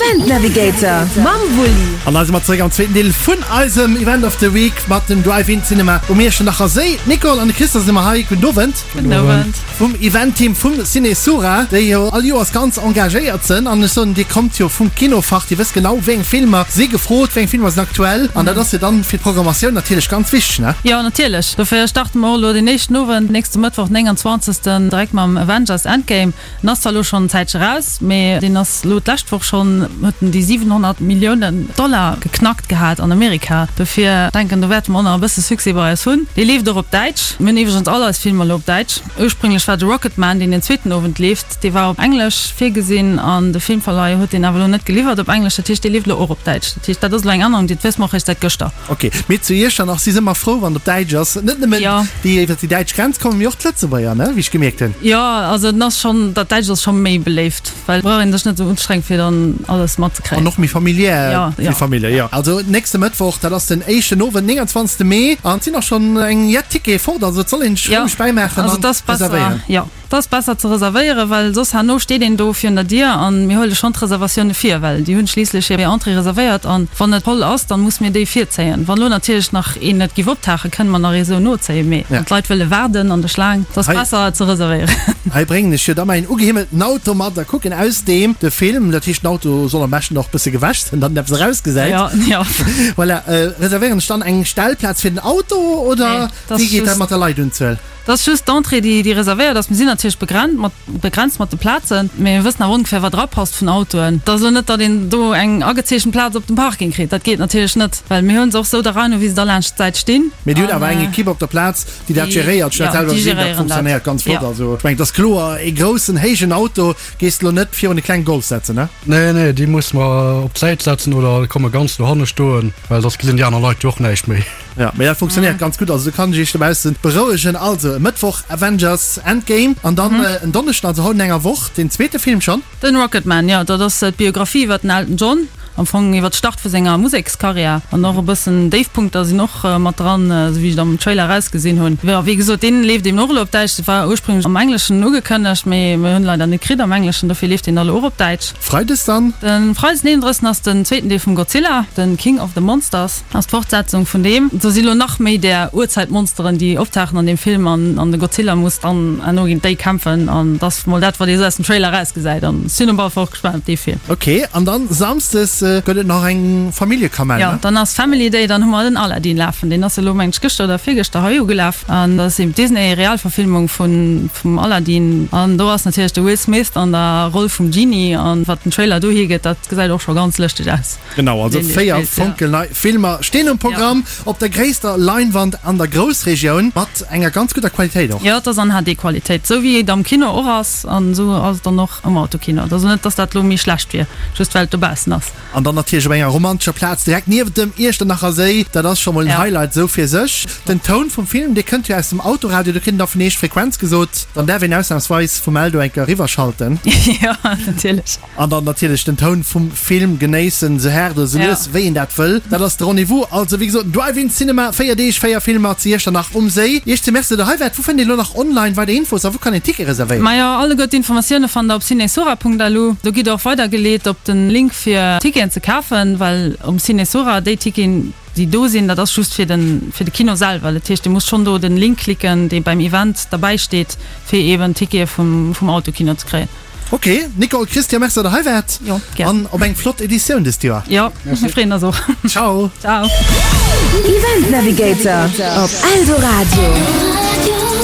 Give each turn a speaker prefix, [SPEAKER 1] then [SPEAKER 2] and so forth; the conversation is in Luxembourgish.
[SPEAKER 1] Event Navigator mam Wulli.
[SPEAKER 2] An da si mer zeréck am zweeten Deel vun eisem Event of the Week mat dem Drive-In Cinema um Iechternacher Séi. D'Nicole an de Christa sinn ëmmer hei. Gudden Owend.
[SPEAKER 3] Gudden Owend.
[SPEAKER 2] Vum Event-Team vum Ciné Sura, déi jo all Joers ganz engagéiert sënn. An ech soen, dir kommt jo vum Kinofach, dir wësst genau, wéi eng Filmer si gefrot, wéi eng Filmer sinn aktuell. An dat ass jo dann fir d'Programmatioun natierlech ganz wichteg, ne?
[SPEAKER 3] Jo, natierlech. Dofir starte mer och elo deen éischten Owend, nächste Mëttwoch, 29. Direkt mam Avengers Endgame. En ass zwar elo schonn en Zäitche raus, mee deen ass elo d'lescht Woch schonn, huet en déi 700 Milliounen Dollar geknackt gehat an Amerika. Dofir denken, do wäerte mer och nach e bësse Succès bei eis hunn. Dee leeft och op Däitsch. Mir hunn iwwregens all eis Filmer elo op Däitsch. Ursprünglech war de Rocketman, deen den zweeten Owend leeft, dee war op Englesch virgesinn an de Filmverleih huet deen awer elo net geliwwert op Englesch. Dat heescht, dee leeft elo och op Däitsch. Dat heescht, dat ass elo eng Ännerung, déi wësse mer och eréischt säit gëschter.
[SPEAKER 2] Ok, mee zu Iechternach si se ëmmer frou, wann et op Däitsch ass. Net nëmmen
[SPEAKER 3] Ja.
[SPEAKER 2] déi iwwer déi däitsch Grenz kommen, mee och d'Lëtzebuerger, ne, wéi ech gemierkt hunn.
[SPEAKER 3] Jo, also en ass schonn, dat Däitscht ass scho méi beléift, well brauch een sech net esou unstrengen, fir dann alles matzekréien.
[SPEAKER 2] An och méi familiär
[SPEAKER 3] Ja,
[SPEAKER 2] fir
[SPEAKER 3] ja.
[SPEAKER 2] Famillje, jo. Also nächste Mëttwoch, dat ass den éischten Owend, 29. Mee, an et sinn och schonn eng jett Tickete fort, also et soll een sech
[SPEAKER 3] Ja,
[SPEAKER 2] roueg bäimaachen
[SPEAKER 3] also
[SPEAKER 2] an
[SPEAKER 3] et ass besser,
[SPEAKER 2] reservéieren.
[SPEAKER 3] jo. Et ass besser ze reservéieren, well soss herno steet een do virun der Dier an mir huele schonn d'Reservatioune vir, well déi hunn schliisslech hir Entrée reservéiert an wann et voll ass, dann musse mir déi virzéien. Wann elo natierlech nach een net giff optauchen, kënne mer nach ee sou nozéien, mee wann d'Leit wëlle waarden an der Schlaang, et ass besser et ze reservéieren.
[SPEAKER 2] Hei bréngen ech jo da mäin ugehimmelten Auto mat a kucken aus deem de Film. Dat heescht, den Auto soll am beschten och bësse gewäsch sinn, datt en eppes erausgesäit.
[SPEAKER 3] Jo, jo.
[SPEAKER 2] Voilà. Reservéieren ech dann eng Stellplaz fir den Auto oder wéi geet dat mat der Leitunzuel?
[SPEAKER 3] Et ass just d'Entrée, déi déi reservéiert ass. Mir sinn natierlech begrennt mat begrenzt mat de Plazen, mee mir wëssen awer ongefähr, wat erapasst vun Autoen. Et ass elo net, datt een do eng agezeechent Plaz op dem Parking kritt. Dat geet natierlech net, well mir hunn se och sou der Rei no, wéi se da laanscht d'Säit stinn.
[SPEAKER 2] Mee Dir hutt
[SPEAKER 3] An
[SPEAKER 2] awer eng Ekipp op der Plaz, déi dat
[SPEAKER 3] déi,
[SPEAKER 2] geréiert. Ech hunn dat
[SPEAKER 3] jo,
[SPEAKER 2] selwer
[SPEAKER 3] déi
[SPEAKER 2] gesinn, dat
[SPEAKER 3] geréieren dat.
[SPEAKER 2] funktionéiert ganz flott.
[SPEAKER 3] Jo.
[SPEAKER 2] Also ech mengen, et ass kloer, ee groussen, héijen Auto gees de elo net virun e klenge Golf setzen, ne?
[SPEAKER 4] Nee, nee, déi musse mer op d'Säit setzen oder komme ganz dohanne stoen, well soss gesinn déi aner Leit jo och näischt méi.
[SPEAKER 2] Ja, mee dat funktionéiert ganz gutt, also do kann ech iech dobaussen berouegen. Also e Mëttwoch Avengers Endgame an dann en Donneschden, also haut an enger Woch, deen zweete Film schonn.
[SPEAKER 3] Den Rocketman, jo, dat ass d'Biographie iwwer den Elton John, am Fong iwwer d'Start vu senger Musekskarriär an och e bëssen Déifpunkter sinn och mat dran, esou wéi ech et am Trailer erausgesinn hunn. Jo, wéi gesot, deen leeft eben och elo op Däitsch. Dat war ursprünglech am Engleschen ugekënnegt, mee mir hunn leider net kritt am Engleschen, dofir leeft deen da elo och op Däitsch.
[SPEAKER 2] Freides dann?
[SPEAKER 3] De Freides den 31 ass den zweeten Deel vum Godzilla, den King of the Monsters. Ass d'Fortsetzung vun deem. Do si lo nach méi där Urzeitmonsteren déi optauchen an deem Film an an de Godzilla muss dann herno géint déi kämpfen an et ass mol dat wat ee sou aus dem Trailer erausgesäit an ech sinn op alle Fall och gespaant op dee Film.
[SPEAKER 2] Ok, an dann Samsdes gëtt et nach eng Familljekamell,
[SPEAKER 3] Jo,
[SPEAKER 2] ne?
[SPEAKER 3] dann ass Family Day, dann hu mer den Aladdin lafen, deen ass elo mengen ech gëschter oder virgëschter hei ugelaf an dat ass eben d'Disney Realverfilmung vun vum Aladdin an do ass natierlech de Will Smith an der Roll vum Genie an wat den Trailer do hiergëtt, dat gesäit och scho ganz lëschteg aus.
[SPEAKER 2] Genau, also 4 fonkelnei Filmer stinn um Programm op der gréisster Leinwand an der Groussregioun, mat enger ganz gudder Qualitéit och.
[SPEAKER 3] Jo, et ass an HD-Qualitéit, esou wéi et am Kino och ass an esou ass et dann och am Autokino. Et ass net, dass dat elo méi schlecht wier, just well et dobaussen ass.
[SPEAKER 2] An dann natierlech op enger romantescher Plaz direkt niewent dem Iechternacher Séi, dat ass scho mol en Highlight esou fir sech. Den Toun vum Film, dee kënnt jo aus dem Autoradio, do kritt een da vun eech d'Frequenz gesot, dann däerf een ausnamsweis vum Eldo eng Kéier eriwwerschalten.
[SPEAKER 3] Jo, natierlech.
[SPEAKER 2] An dann natierlech den Toun vum Film genéissen, sou haart oder sou lues wéi een dat wëll. Dat ass de Rendez-vous. Also wéi gesot, Drive-In Cinema, 4 Deeg, 4 Filmer zu Iechternach um Séi. Iech ze Merci, datt der hei waart. Wou fënnt een elo nach online weider Infos a wou kann een Ticket reservéieren?
[SPEAKER 3] Majo, alleguer d'Informatioune fannt der op cinesura.lu. Do gitt der och weidergeleet op den Link fir Ticketen ze kafen, well um Cinesura déi Ticketen déi do sinn, dat ass just fir den fir de Kino selwer. Dat heescht, dir musst schonn do den Link klicken, dee beim Event derbäi steet, fir eben Tickete vum vum Autokino ze kréien.
[SPEAKER 2] Ok, Nicole, Christian, merci dat der hei waart.
[SPEAKER 3] Jo, gär.
[SPEAKER 2] An op eng flott Editioun dëst Joer.
[SPEAKER 3] Jo, mir freeën eis och.
[SPEAKER 2] Ciao.
[SPEAKER 3] Ciao.
[SPEAKER 1] Event Navigator op Eldoradio.